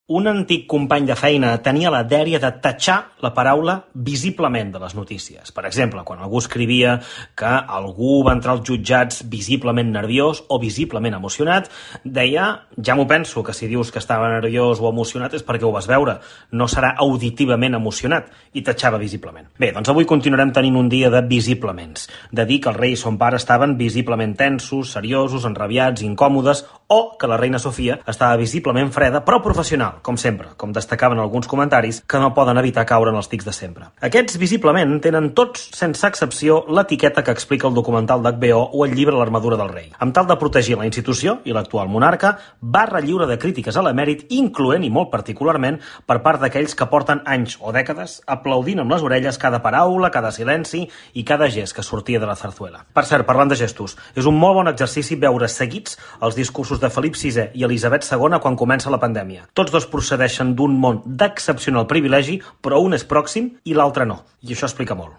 Un antic company de feina tenia la dèria de tatxar la paraula visiblement de les notícies. Per exemple, quan algú escrivia que algú va entrar als jutjats visiblement nerviós o visiblement emocionat, deia, ja m'ho penso, que si dius que estava nerviós o emocionat és perquè ho vas veure, no serà auditivament emocionat, i tatxava visiblement. Bé, doncs avui continuarem tenint un dia de visiblements, de dir que el rei i son pare estaven visiblement tensos, seriosos, enrabiats, incòmodes, o que la reina Sofia estava visiblement freda, però professional, com sempre, com destacaven alguns comentaris que no poden evitar caure en els tics de sempre. Aquests visiblement tenen tots, sense excepció, l'etiqueta que explica el documental d'HBO o el llibre L'armadura del rei. Amb tal de protegir la institució i l'actual monarca, barra lliure de crítiques a l'emèrit, incloent i molt particularment per part d'aquells que porten anys o dècades aplaudint amb les orelles cada paraula, cada silenci i cada gest que sortia de la zarzuela. Per cert, parlant de gestos, és un molt bon exercici veure seguits els discursos de Felip VI i Elisabet II quan comença la pandèmia. Tots dos procedeixen d'un món d'excepcional privilegi, però un és pròxim i l'altre no. I això explica molt.